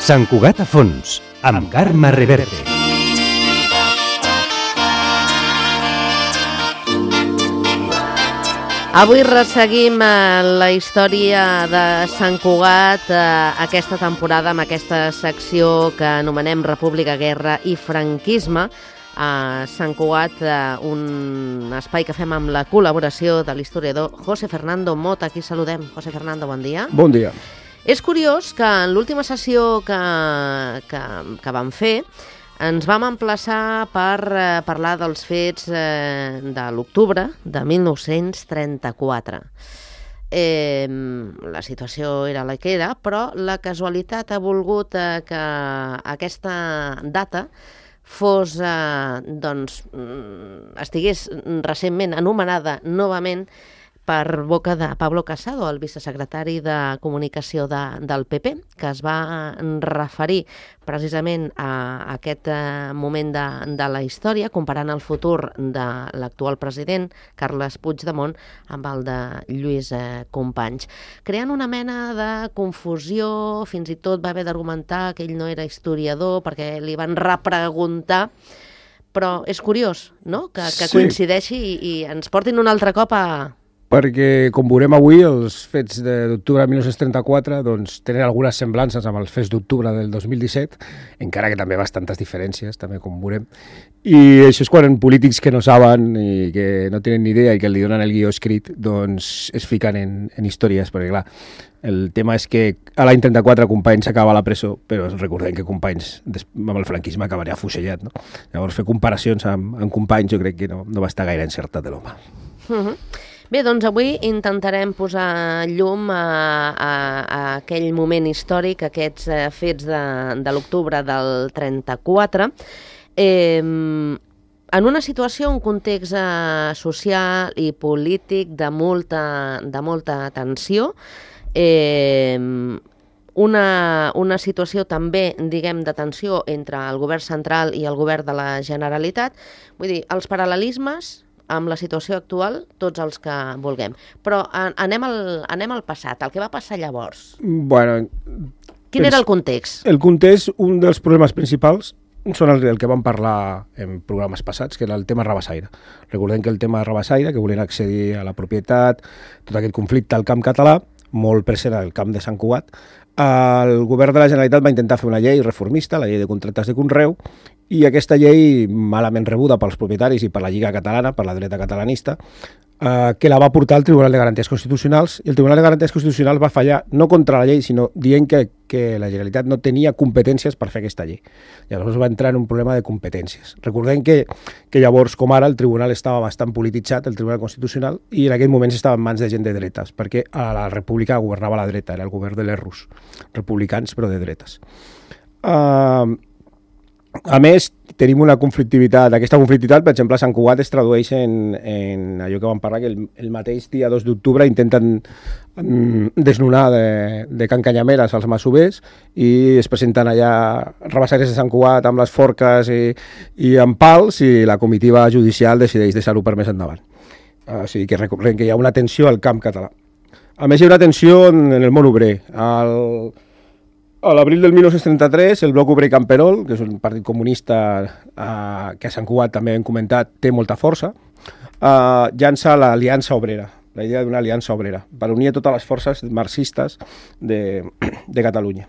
Sant Cugat a fons, amb Carme Reverte. Avui resseguim la història de Sant Cugat aquesta temporada amb aquesta secció que anomenem República, Guerra i Franquisme. A Sant Cugat, un espai que fem amb la col·laboració de l'historiador José Fernando Mota. Aquí saludem. José Fernando, bon dia. Bon dia. És curiós que en l'última sessió que vam fer ens vam emplaçar per parlar dels fets de l'octubre de 1934. La situació era la que era, però la casualitat ha volgut que aquesta data estigués recentment anomenada novament per boca de Pablo Casado, el vicesecretari de Comunicació del PP, que es va referir precisament a aquest moment de la història, comparant el futur de l'actual president, Carles Puigdemont, amb el de Lluís Companys. Creant una mena de confusió, fins i tot va haver d'argumentar que ell no era historiador perquè li van repreguntar, però és curiós, no?, que coincideixi i ens portin un altre cop a... Perquè, com veurem avui, els fets d'octubre de 1934 doncs, tenen algunes semblances amb els fets d'octubre del 2017, encara que també bastantes diferències, també com veurem. I això és quan polítics que no saben i que no tenen ni idea i que li donen el guió escrit, doncs es fiquen en històries, perquè clar, el tema és que a l'any 34 Companys s'acaba a la presó, però recordem que Companys amb el franquisme acabaria afusellat, no? Llavors fer comparacions amb Companys jo crec que no va estar gaire encertat de l'home. Bé, doncs avui intentarem posar llum a aquell moment històric, aquests fets de l'octubre del 34, en una situació, un context social i polític de molta tensió, una situació també, diguem, de tensió entre el govern central i el govern de la Generalitat. Vull dir, els paral·lelismes amb la situació actual, tots els que vulguem. Però anem al passat, el que va passar llavors. Bueno, quin era el context? El context, un dels problemes principals, són el que vam parlar en programes passats, que era el tema Rabassaire. Recordem que el tema Rabassaire, que volien accedir a la propietat, tot aquest conflicte al camp català, molt present al camp de Sant Cugat, el govern de la Generalitat va intentar fer una llei reformista, la llei de contractes de conreu, i aquesta llei, malament rebuda pels propietaris i per la Lliga Catalana, per la dreta catalanista, que la va portar al Tribunal de Garanties Constitucionals, i el Tribunal de Garanties Constitucionals va fallar no contra la llei, sinó dient que la Generalitat no tenia competències per fer aquesta llei. Llavors va entrar en un problema de competències. Recordem que llavors, com ara, el Tribunal estava bastant polititzat, el Tribunal Constitucional, i en aquell moment estava en mans de gent de dretes, perquè a la República governava la dreta, era el govern de l'Errus, republicans però de dretes. A més, tenim una conflictivitat. Aquesta conflictivitat, per exemple, a Sant Cugat es tradueix en allò que vam parlar, que el mateix dia 2 d'octubre intenten desnonar de Can Canyameres als masovers i es presenten allà rabassaires de Sant Cugat amb les forques i amb pals, i la comitiva judicial decideix deixar-ho per més endavant. O sigui que recordem que hi ha una tensió al camp català. A més, hi ha una tensió en el món obrer. A l'abril del 1933, el Bloc Obrer Camperol, que és un partit comunista que a Sant Cugat també hem comentat, té molta força, llança l'Aliança Obrera, la idea d'una aliança obrera, per unir totes les forces marxistes de Catalunya.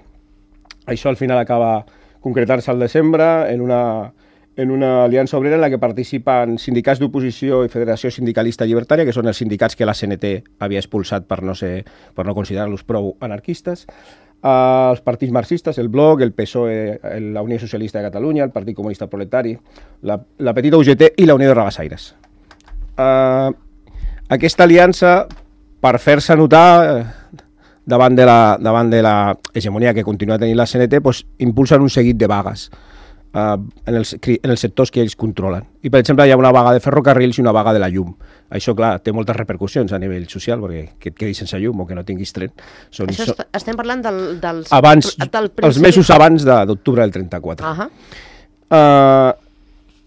Això al final acaba concretant-se al desembre en una aliança obrera en la que participen sindicats d'oposició i Federació Sindicalista Llibertària, que són els sindicats que la CNT havia expulsat per no considerar-los prou anarquistes, els partits marxistes, el Bloc, el PSOE, la Unió Socialista de Catalunya, el Partit Comunista Proletari, la petita UGT i la Unió de Rabassaires. Aquesta aliança, per fer-se notar davant de la hegemonia que continua tenint la CNT, doncs, impulsen un seguit de vagues en els sectors que ells controlen. I, per exemple, hi ha una vaga de ferrocarrils i una vaga de la llum. Això, clar, té moltes repercussions a nivell social, perquè que et quedis sense llum o que no tinguis tren. Estem parlant dels... Els mesos abans d'octubre del 34.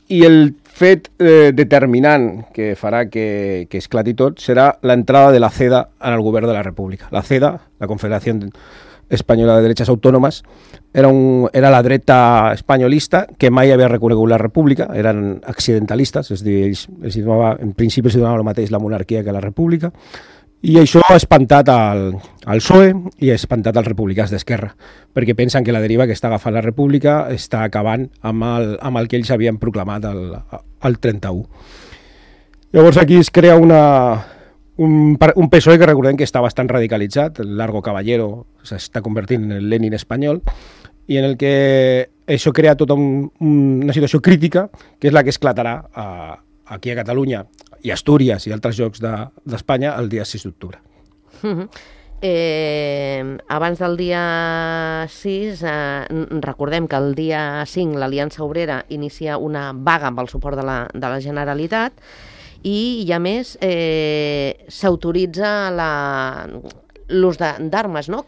I el fet determinant que farà que esclati tot serà l'entrada de la CEDA en el govern de la República. La CEDA, la Confederació Espanyola de Derechas Autònomes, era la dreta espanyolista que mai havia reconegut la república, eren accidentalistes, és a dir, en principi els donava el mateix la monarquia que la república, i això ha espantat al PSOE i ha espantat als republicans d'Esquerra, perquè pensen que la deriva que està agafant la república està acabant amb el que ells havien proclamat al 31. Llavors aquí es crea un PSOE que recordem que està bastant radicalitzat, el Largo Caballero s'està convertint en el Lenin espanyol, i en el que això crea tota una situació crítica, que és la que esclatarà aquí a Catalunya i Astúries i altres llocs d'Espanya el dia 6 d'octubre. Abans del dia 6, recordem que el dia 5 l'Aliança Obrera inicia una vaga amb el suport de la Generalitat i, a més, s'autoritza l'ús d'armes, no?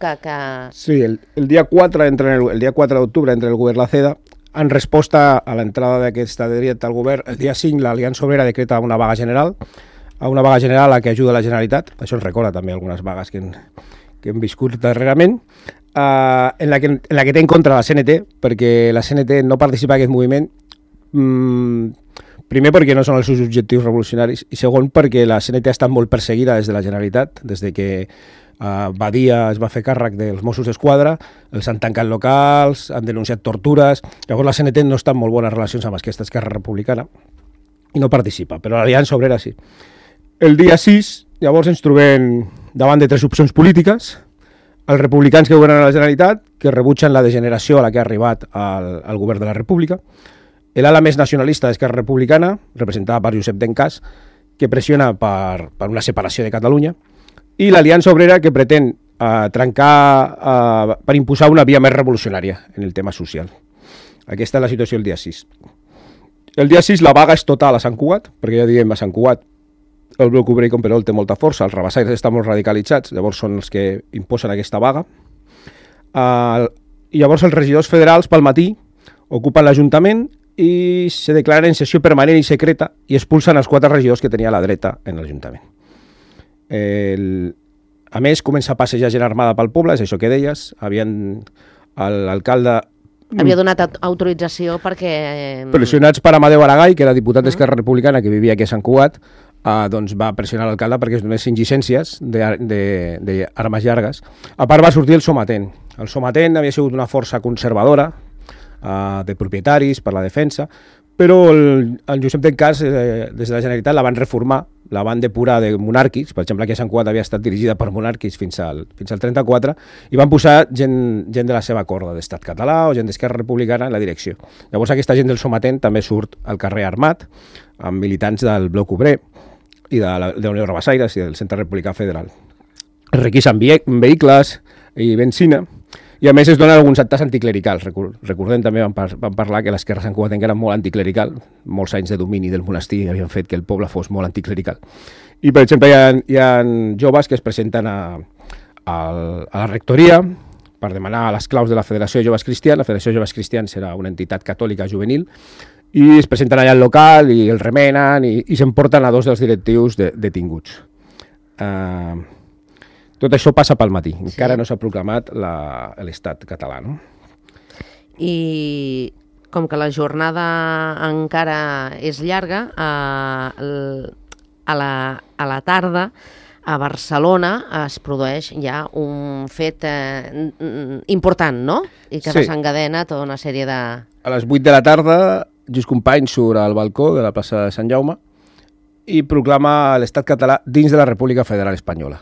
Sí, el dia 4 d'octubre entra el govern la CEDA. En resposta a l'entrada d'aquesta dreta al govern, el dia 5 l'Aliança Obrera decreta una vaga general, a la que ajuda la Generalitat. Això ens recorda també algunes vagues que hem viscut darrerament, en la que té en contra la CNT, perquè la CNT no participa en aquest moviment, primer perquè no són els seus objectius revolucionaris i segon perquè la CNT ha estat molt perseguida des de la Generalitat, des de que Badia es va fer càrrec dels Mossos d'Esquadra, els han tancat locals, han denunciat tortures, llavors la CNT no està en molt bones relacions amb aquesta Esquerra Republicana i no participa, però l'Aliança Obrera sí. El dia 6, llavors ens trobem davant de tres opcions polítiques, els republicans que governen a la Generalitat, que rebutgen la degeneració a la que ha arribat al govern de la República, l'ala més nacionalista d'Esquerra Republicana, representada per Josep Dencàs, que pressiona per una separació de Catalunya, i l'Aliança Obrera, que pretén trencar per imposar una via més revolucionària en el tema social. Aquesta és la situació el dia 6. El dia 6 la vaga és total a Sant Cugat, perquè ja diem a Sant Cugat el bloc obrer i Camperol té molta força, els rabassaires estan molt radicalitzats, llavors són els que imposen aquesta vaga. I llavors els regidors federals pel matí ocupen l'Ajuntament i se declaren en sessió permanent i secreta i expulsen els 4 regidors que tenia la dreta en l'Ajuntament. A més, comença a passejar gent armada pel poble, és això que deies, l'alcalde... Havia donat autorització perquè... Pressionats per Amadeu Aragall, que era diputat d'Esquerra Republicana, que vivia aquí a Sant Cugat, doncs va pressionar l'alcalde perquè es donessin llicències d'armes llargues. A part va sortir el Somatent. El Somatent havia sigut una força conservadora, de propietaris, per la defensa, però el Josep Dencàs, des de la Generalitat, la van reformar, la van depurar de monàrquics, per exemple, aquí a Sant Cugat havia estat dirigida per monàrquics fins al 34, i van posar gent de la seva corda, d'Estat Català o gent d'Esquerra Republicana en la direcció. Llavors aquesta gent del Somatent també surt al carrer armat, amb militants del Bloc Obrer i de la Unió Rabassaires i del Centre Republicà Federal. Es requisen vehicles i benzina, i a més es donen alguns actes anticlericals. Recordem també, vam parlar que l'esquerra santcugatenca era molt anticlerical, molts anys de domini del monestir havien fet que el poble fos molt anticlerical. I, per exemple, hi ha joves que es presenten a la rectoria per demanar les claus de la Federació de Joves Cristians. La Federació de Joves Cristians era una entitat catòlica juvenil, i es presenten allà al local i el remenen i s'emporten a 2 dels directius detinguts. Tot això passa pel matí, encara no s'ha proclamat l'estat català, no? I com que la jornada encara és llarga, a la tarda a Barcelona es produeix ja un fet important, no? I que desencadena tota una sèrie de... A les 8 de la tarda, Lluís Companys surt al balcó de la plaça de Sant Jaume i proclama l'estat català dins de la República Federal Espanyola.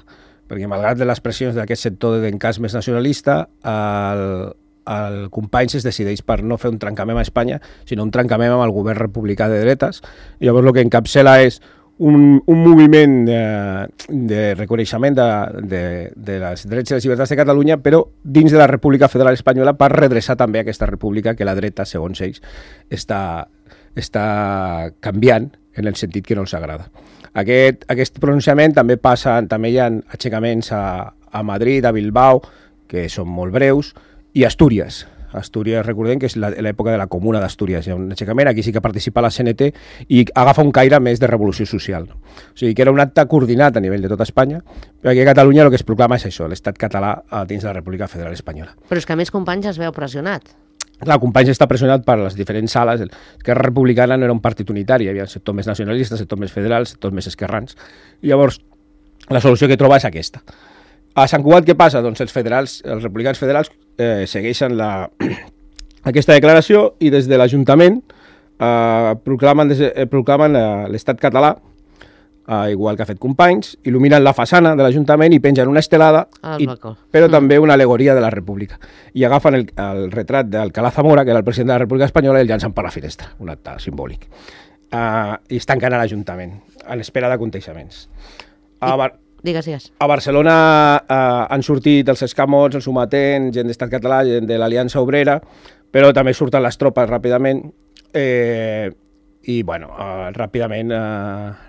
Perquè malgrat de les pressions d'aquest sector de Dencàs més nacionalista, el Companys es decideix per no fer un trencament a Espanya, sinó un trencament amb el govern republicà de dretes. I llavors el que encapçala és un moviment de reconeixement de les drets i les llibertats de Catalunya, però dins de la República Federal Espanyola, per redreçar també aquesta república que la dreta, segons ells, està canviant en el sentit que no els agrada. Aquest pronunciament també hi ha aixecaments a Madrid, a Bilbao, que són molt breus, i a Astúries. Astúries, recordem que és l'època de la Comuna d'Astúries. Hi ha un aixecament, aquí sí que participa la CNT i agafa un caire més de revolució social. O sigui, que era un acte coordinat a nivell de tota Espanya, però aquí a Catalunya el que es proclama és això, l'estat català dins de la República Federal Espanyola. Però és que a més Companys es veu pressionat. Clar, Companys està pressionat per les diferents sales. Esquerra Republicana no era un partit unitari, hi havia sector més nacionalista, sector més federal, sector més esquerrans. I llavors, la solució que troba és aquesta. A Sant Cugat què passa? Doncs els republicans federals segueixen aquesta declaració i des de l'Ajuntament proclamen l'estat català, igual que ha fet Companys, il·luminen la façana de l'Ajuntament i pengen una estelada, però també una alegoria de la República. I agafen el retrat d'Alcalá Zamora, que era el president de la República Espanyola, i el llancen per la finestra, un acte simbòlic. I es tanquen a l'Ajuntament, en espera d'aconteixements. Digues. A Barcelona han sortit els escamots, els sometents, gent d'Estat Català, gent de l'Aliança Obrera, però també surten les tropes ràpidament i ràpidament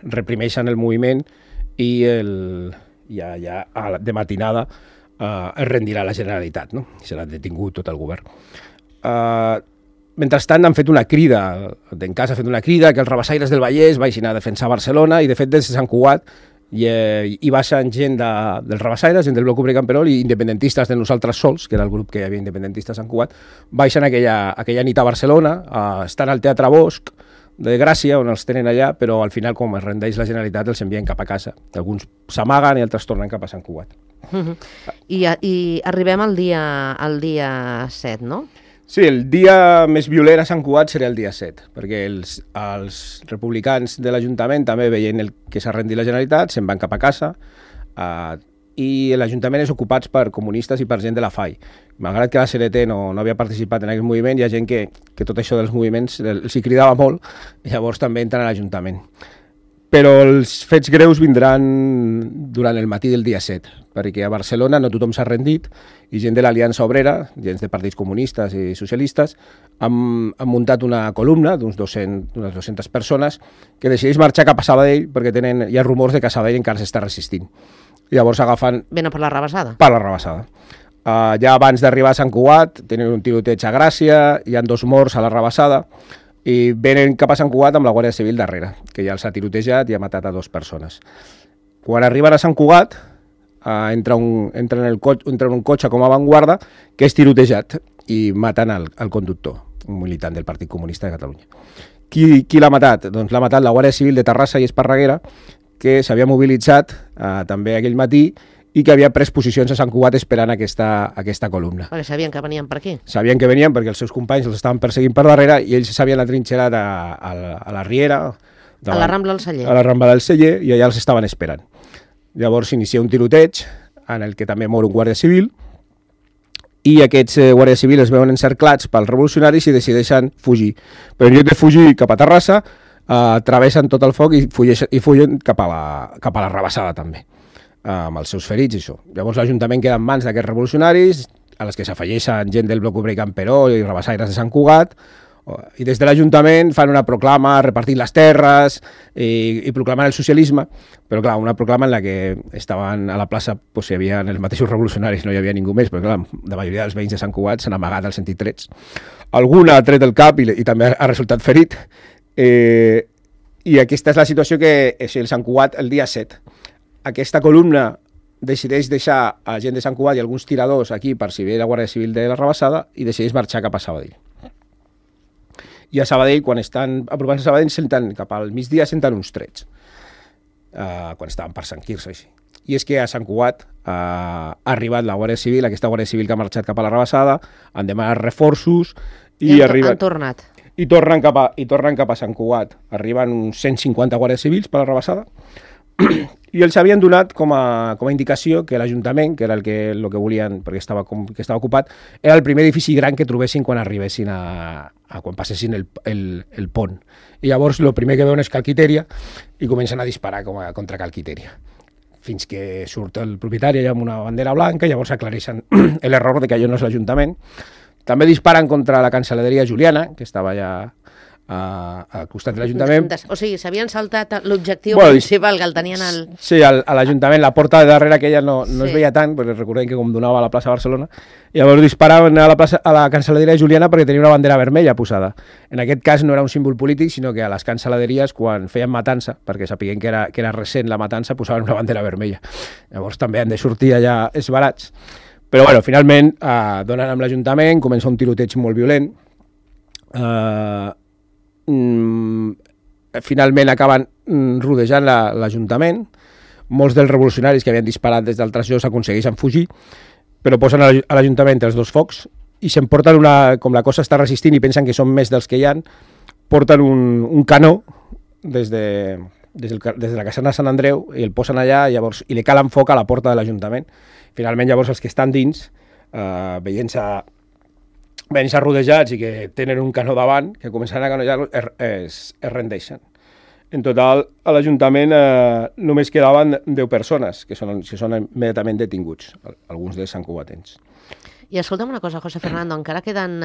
reprimeixen el moviment i ja de matinada es rendirà la Generalitat, no? I serà detingut tot el govern. Mentrestant han fet una crida, d'Encàs ha fet una crida que els rabassaires del Vallès vagin a defensar Barcelona i de fet des de Sant Cugat hi baixen gent dels rabassaires, gent del Bloc Obrer Camperol i independentistes de Nosaltres Sols, que era el grup que hi havia independentistes a Sant Cugat, baixen aquella nit a Barcelona, estan al Teatre Bosch de Gràcia, on els tenen allà, però al final, com es rendeix la Generalitat, els envien cap a casa. Alguns s'amaguen i altres tornen cap a Sant Cugat. I arribem al dia 7, no? Sí, el dia més violent a Sant Cugat serà el dia 7, perquè els republicans de l'Ajuntament també veient que s'ha rendit la Generalitat, se'n van cap a casa i l'Ajuntament és ocupat per comunistes i per gent de la FAI. Malgrat que la CNT no havia participat en aquest moviment, hi ha gent que tot això dels moviments els hi cridava molt i llavors també entren a l'Ajuntament. Però els fets greus vindran durant el matí del dia 7, perquè a Barcelona no tothom s'ha rendit i gent de l'Aliança Obrera, gent de partits comunistes i socialistes, han muntat una columna d'unes 200 persones que decideix marxar cap a Sabadell perquè hi ha rumors de que Sabadell encara s'està resistint. Llavors agafen... Venen per la Rabassada? Per la Rabassada. Ja abans d'arribar a Sant Cugat tenen un tiroteig a Gràcia, hi ha 2 morts a la Rabassada, i venen cap a Sant Cugat amb la Guàrdia Civil darrere, que ja els ha tirotejat i ha matat a 2 persones. Quan arriben a Sant Cugat, entren en un cotxe com a avantguarda que és tirotejat i maten el conductor, un militant del Partit Comunista de Catalunya. Qui l'ha matat? Doncs l'ha matat la Guàrdia Civil de Terrassa i Esparreguera, que s'havia mobilitzat també aquell matí i que havia pres posicions a Sant Cugat esperant aquesta columna. Perquè sabien que venien per aquí. Sabien que venien perquè els seus companys els estaven perseguint per darrere i ells s'havien atrinxerat a la Riera, a la Rambla del Celler. A la Rambla del Celler, i allà els estaven esperant. Llavors s'inicia un tiroteig en el que també mor un guàrdia civil i aquests guàrdies civils es veuen encerclats pels revolucionaris i decideixen fugir. Però en lloc de fugir cap a Terrassa, travessen tot el foc i fugen cap a la Rabassada també, amb els seus ferits i això. Llavors l'Ajuntament queda en mans d'aquests revolucionaris, a les que s'afegeixen gent del Bloc Obrer Camperol i rabassaires de Sant Cugat, i des de l'Ajuntament fan una proclama repartint les terres i proclamant el socialisme, però clar, una proclama en la que estaven a la plaça, doncs hi havia els mateixos revolucionaris, no hi havia ningú més, però clar, la majoria dels veïns de Sant Cugat s'han amagat al sentit trets. Algun ha tret el cap i també ha resultat ferit, i aquesta és la situació que és el Sant Cugat el dia 7. Aquesta columna decideix deixar a gent de Sant Cugat i alguns tiradors aquí per si ve la Guàrdia Civil de la Rabassada i decideix marxar cap a Sabadell. I a Sabadell, quan estan apropant a Sabadell, cap al migdia senten uns trets, quan estaven per Sant Quirze, així. I és que a Sant Cugat ha arribat la Guàrdia Civil, aquesta Guàrdia Civil que ha marxat cap a la Rabassada, han demanat reforços i arriben... Han tornat. I tornen cap a Sant Cugat. Arriben uns 150 guàrdies civils per la Rabassada i els havien donat com a indicació que l'Ajuntament, que era el que volien, perquè estava ocupat, era el primer edifici gran que trobessin quan arribessin quan passessin el pont. I llavors el primer que veuen és Calquitèria i comencen a disparar contra Calquitèria, fins que surt el propietari amb una bandera blanca i llavors aclareixen l'error de que allò no és l'Ajuntament. També disparen contra la Cancelleria Juliana, que estava allà al costat de l'Ajuntament. O sigui, s'havien saltat l'objectiu principal que el tenien al... Sí, a l'Ajuntament, la porta de darrere aquella no es veia tant, perquè recordem que com donava a la plaça Barcelona, i llavors disparaven a la cancel·leria Juliana perquè tenia una bandera vermella posada. En aquest cas no era un símbol polític, sinó que a les cancel·leries, quan feien matança, perquè sapiguem que era recent la matança, posaven una bandera vermella. Llavors també han de sortir allà esbarats. Però bueno, finalment donen amb l'Ajuntament, comença un tiroteig molt violent, finalment acaben rodejant l'Ajuntament, molts dels revolucionaris que havien disparat des d'altres llocs aconsegueixen fugir, però posen a l'Ajuntament els dos focs i s'emporten com la cosa està resistint i pensen que són més dels que hi ha, porten un canó des de la caserna de Sant Andreu i el posen allà i li calen foc a la porta de l'Ajuntament. Finalment llavors els que estan dins, veient-se rodejats i que tenen un canó davant, que començaran a canollar-lo, es rendeixen. En total, a l'Ajuntament només quedaven 10 persones, que són immediatament detinguts, alguns dels santcugatens. I escolta'm una cosa, José Fernando, encara queden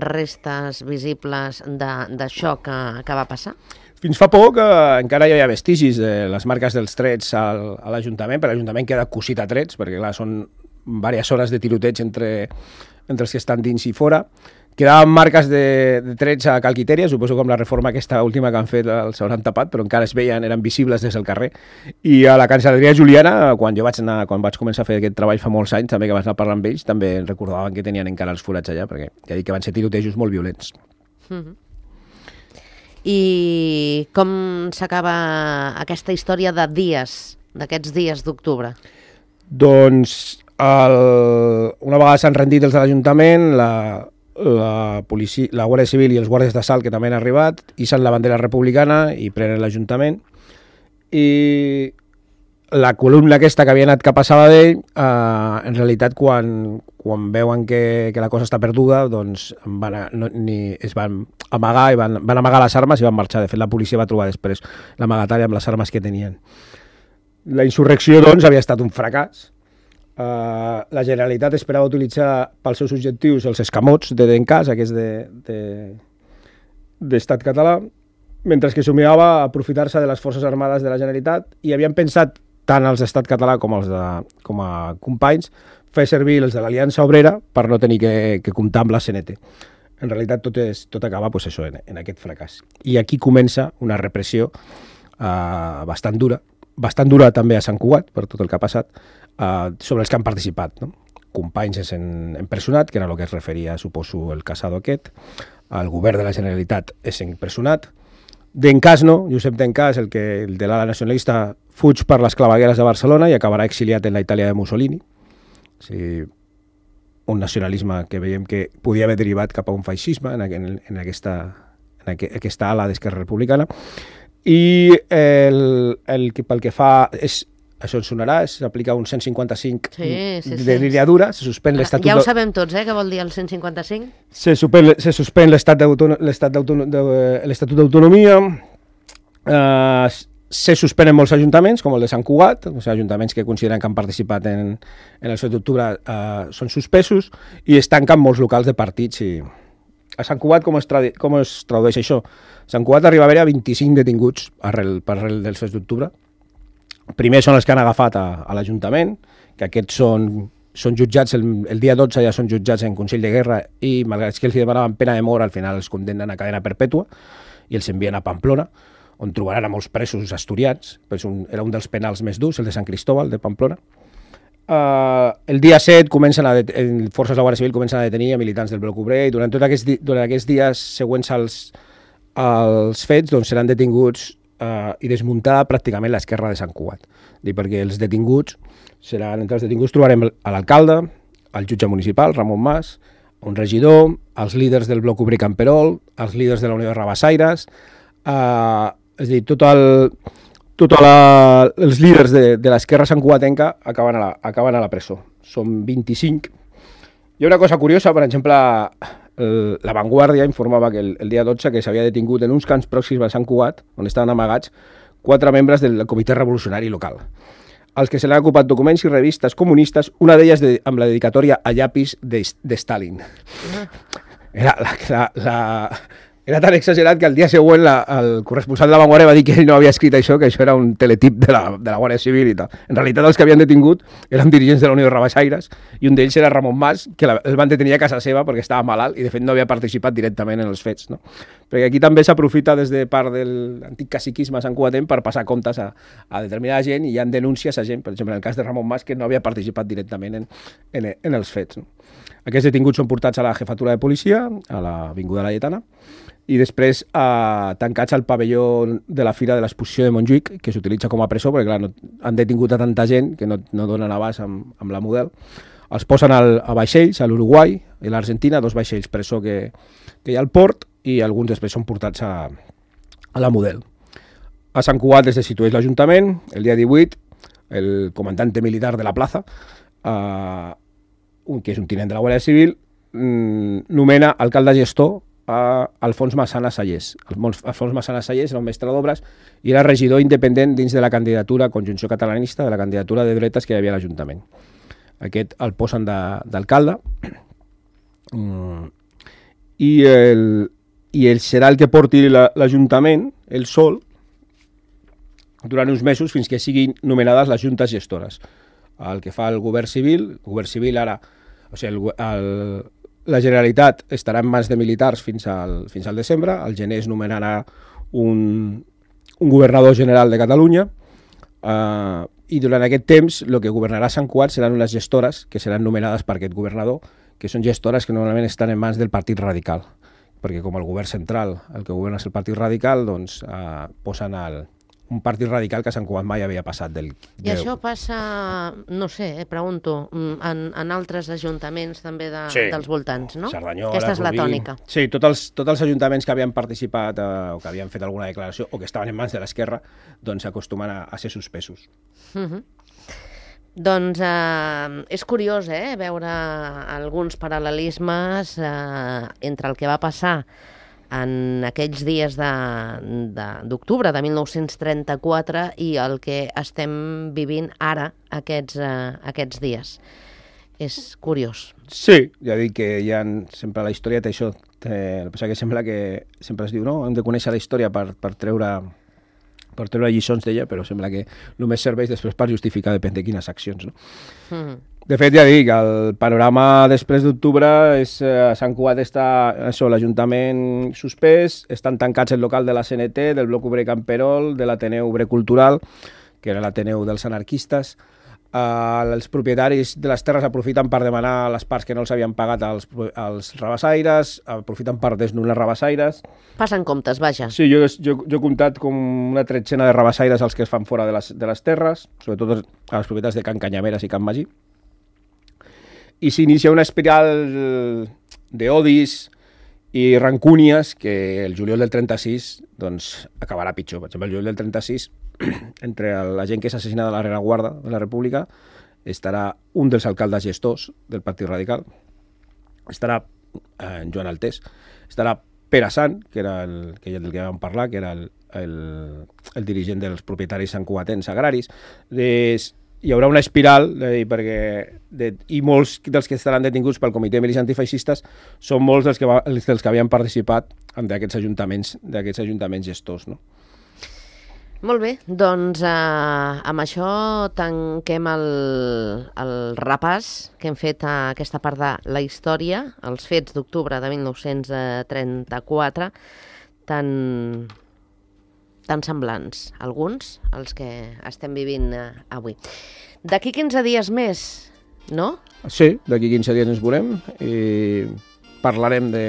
restes visibles d'això que va passar? Fins fa poc encara hi havia vestigis de les marques dels trets a l'Ajuntament, però l'Ajuntament queda cosit a trets, perquè clar, són diverses hores de tiroteig entre els que estan dins i fora. Quedaven marques de trets a Calquitèria, suposo com la reforma aquesta última que han fet els hauran tapat, però encara es veien, eren visibles des del carrer. I a la cancel·leria Juliana, quan vaig començar a fer aquest treball fa molts anys, també que vaig anar a parlar amb ells, també recordaven que tenien encara els forats allà, perquè ja dic que van ser tirotejos molt violents. I com s'acaba aquesta història d'aquests dies d'octubre? Doncs una vegada s'han rendit els de l'Ajuntament, la policia, la Guàrdia Civil i els guàrdies d'assalt que també han arribat, hicen la bandera republicana i prenen l'Ajuntament, i la columna aquesta que havia anat cap a Sabadell, en realitat quan veuen que la cosa està perduda, doncs es van amagar i van amagar les armes i van marxar. De fet, la policia va trobar després l'amagatari amb les armes que tenien. La insurrecció, doncs, havia estat un fracàs. La Generalitat esperava utilitzar pels seus objectius els escamots de Dencàs, aquests d'Estat català, mentre que somiava a aprofitar-se de les forces armades de la Generalitat, i havien pensat, tant els d'Estat català com a companys, fer servir els de l'Aliança Obrera per no tenir que comptar amb la CNT. En realitat tot acaba en aquest fracàs. I aquí comença una repressió bastant dura també a Sant Cugat, per tot el que ha passat, sobre els que han participat. Companys és empresonat, que era el que es referia, suposo, el Casado aquest. El govern de la Generalitat és empresonat. Dencàs no, Josep Dencàs, el de l'ala nacionalista, fuig per les clavegueres de Barcelona i acabarà exiliat en la Itàlia de Mussolini. O sigui, un nacionalisme que veiem que podia haver derivat cap a un feixisme en aquesta ala d'Esquerra Republicana. I pel que fa... Això ens sonarà, s'aplica un 155 de línia dura, se suspèn l'Estatut... Ja ho sabem tots, què vol dir el 155? Se suspèn l'Estatut d'Autonomia, se suspenen molts ajuntaments, com el de Sant Cugat, ajuntaments que consideren que han participat en el 7 d'octubre són suspesos, i es tanquen molts locals de partits. A Sant Cugat com es tradueix això? A Sant Cugat arriba a haver 25 detinguts per arrel del 7 d'octubre. Primer són els que han agafat a l'Ajuntament, que aquests són jutjats, el dia 12 ja són jutjats en Consell de Guerra, i malgrat que els demanaven pena de mort, al final els condemnen a cadena perpètua i els envien a Pamplona, on trobaran a molts presos asturians. Era un dels penals més durs, el de Sant Cristóbal, de Pamplona. El dia 7 forces de la Guàrdia Civil comencen a detenir a militants del Bloc Obrer, i durant aquests dies següents als fets seran detinguts i desmuntada pràcticament l'esquerra de Sant Cugat. Perquè entre els detinguts trobarem a l'alcalde, el jutge municipal, Ramon Mas, un regidor, els líders del Bloc Obrer Camperol, els líders de la Unió de Rabassaires, és a dir, els líders de l'esquerra santcugatenca acaben a la presó. Són 25. Hi ha una cosa curiosa, per exemple, La Vanguardia informava que el dia 12 que s'havia detingut en uns camps pròxims a Sant Cugat, on estaven amagats 4 membres del comitè revolucionari local, als que se l'han ocupat documents i revistes comunistes, una d'elles amb la dedicatòria a llapis de Stalin. Era Era tan exagerat que el dia següent el corresponsal de La Vanguardia va dir que ell no havia escrit això, que això era un teletip de la Guàrdia Civil i tal. En realitat els que havien detingut eren dirigents de la Unió de Rabasaires i un d'ells era Ramon Mas, que el van detenir a casa seva perquè estava malalt i de fet no havia participat directament en els fets. No? Perquè aquí també s'aprofita des de part de l'antic caciquisme santcugatenc per passar comptes a determinada gent i hi ha denúncies a gent, per exemple en el cas de Ramon Mas, que no havia participat directament en els fets. No? Aquests detinguts són portats a la jefatura de policia, a l'Avinguda Laietana, i després tancats al pavelló de la Fira de l'Exposició de Montjuïc, que s'utilitza com a presó, perquè clar, han detingut a tanta gent que no donen abast amb la Model. Els posen a vaixells, a l'Uruguai i l'Argentina, 2 vaixells presó que hi ha al port, i alguns després són portats a la Model. A Sant Cugat es destitueix l'Ajuntament, el dia 18, el comandante militar de la plaça, que és un tinent de la Guàrdia Civil, nomena alcalde gestor a Alfons Massana Sallés. Alfons Massana Sallés era un mestre d'obres i era regidor independent dins de la candidatura Conjunció Catalanista, de la candidatura de dretes que hi havia a l'Ajuntament. Aquest el posen d'alcalde i ell serà el que porti l'Ajuntament, el sol, durant uns mesos fins que siguin nomenades les juntes gestores. El que fa el govern civil ara, o sigui, la Generalitat estarà en mans de militars fins al desembre, al gener es nomenarà un governador general de Catalunya i durant aquest temps el que governarà Sant Cugat seran unes gestores que seran nomenades per aquest governador, que són gestores que normalment estan en mans del Partit Radical, perquè com el govern central el que governa és el Partit Radical, doncs posen un partit radical que a Sant Cugat mai havia passat del... I això passa, no sé, pregunto, en altres ajuntaments també dels voltants, no? Cerdanyola, aquesta és la Rubí. tònica. Sí, tots els ajuntaments que havien participat o que havien fet alguna declaració o que estaven en mans de l'esquerra, doncs acostumen a ser suspesos. Doncs és curiós veure alguns paral·lelismes entre el que va passar en aquells dies d'octubre de 1934 i el que estem vivint ara aquests dies. És curiós. Sí, ja dic que sempre la història té això. El que sembla que sempre es diu, no? Hem de conèixer la història per treure lliçons d'ella, però sembla que només serveix després per justificar depèn de quines accions, no? De fet, ja dic, el panorama després d'octubre és a Sant Cugat està l'Ajuntament suspès, estan tancats el local de la CNT, del Bloc Obrer Camperol, de l'Ateneu Obrer Cultural, que era l'Ateneu dels anarquistes. Els propietaris de les terres aprofiten per demanar les parts que no els havien pagat als rabassaires, aprofiten per desnonar rabassaires. Passen comptes, vaja. Sí, jo he comptat com una tretzena de rabassaires els que es fan fora de les terres, sobretot a les propietats de Can Canyameres i Can Magí. I s'inicia una espiral d'odis i rancúnies que el juliol del 36 doncs, acabarà pitjor. Per exemple, el juliol del 36, entre la gent que és assassinada a la rereguarda de la República, estarà un dels alcaldes gestors del Partit Radical, estarà Joan Altés, estarà Pere Sant, que era del que vam parlar, que era el dirigent dels propietaris santcugatencs agraris. Hi haurà una espiral i molts dels que estaran detinguts pel Comitè de Milícies Antifeixistes són molts dels que havien participat d'aquests ajuntaments gestors, no? Molt bé, doncs amb això tanquem el repàs que hem fet a aquesta part de la història, els fets d'octubre de 1934, tan semblants, alguns, els que estem vivint avui. D'aquí 15 dies més, no? Sí, d'aquí 15 dies ens veurem i parlarem de...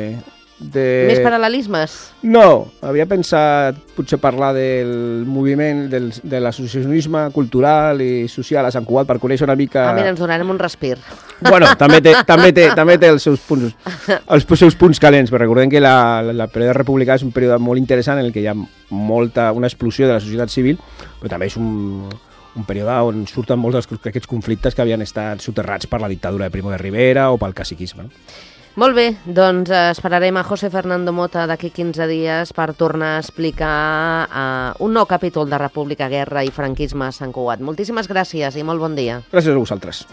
Més paral·lelismes? No, havia pensat potser parlar del moviment, de l'associacionisme cultural i social a Sant Cugat per conèixer una mica... Mira, ens donarem un respir. Bueno, també té els seus punts calents, però recordem que el període republicà és un període molt interessant en què hi ha una explosió de la societat civil, però també és un període on surten molts d'aquests conflictes que havien estat soterrats per la dictadura de Primo de Rivera o pel caciquisme, no? Molt bé, doncs esperarem a José Fernando Mota d'aquí 15 dies per tornar a explicar un nou capítol de República, Guerra i Franquisme a Sant Cugat. Moltíssimes gràcies i molt bon dia. Gràcies a vosaltres.